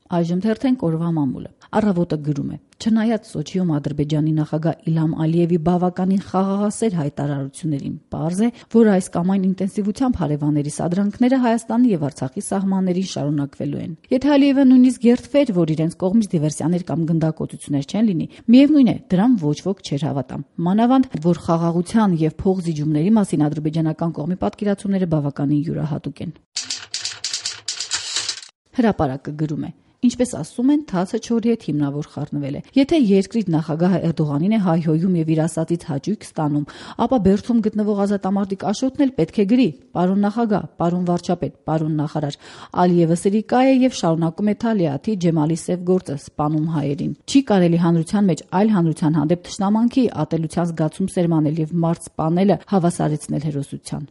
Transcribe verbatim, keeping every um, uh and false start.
Այժմ թերթենք օրվա մամուլը։ Առավոտը գրում է. չնայած Սոչիում Ադրբեջանի նախագահ Իլհամ Ալիևի բավականին խաղաղասեր հայտարարություններին, պարզ է, որ այս կամ այն ինտենսիվությամբ հարևանների սադրանքները Հայաստանի եւ Արցախի սահմաններին շարունակվելու են։ Եթե Ալիևը նույնիսկ երդվեր, որ իրենց կողմից դիվերսիաներ կամ գնդակոծություններ չեն լինի, միևնույն է, դրան ոչ ոք չէր հավատա։ Մանավանդ, որ խաղաղության եւ փողզիջումների մասին ադրբեջանական կողմի պատկերացումները բավականին յուրահատուկ են։ Հրապարակը գրում է. Ինչպես ասում են, թացը չորի հետ հիմնավոր խառնվել է։ Եթե երկրի նախագահը Էրդողանին է հայհոյում եւ իր ասածից հաճույք ստանում, ապա Բերդում գտնվող ազատամարտիկ Աշոտն էլ պետք է գրի. «Պարոն նախագահ, պարոն վարչապետ, պարոն նախարար, Ալիևը սրիկա է եւ շարունակում է Թալիաթի Ջեմալի սև գործը սպանում հայերին»։ Չի կարելի հանրության մեջ այլ հանրության հանդեպ թշնամանքի, ատելության զգացում սերմանել եւ մարդ սպանելը հավասարեցնել հերոսության։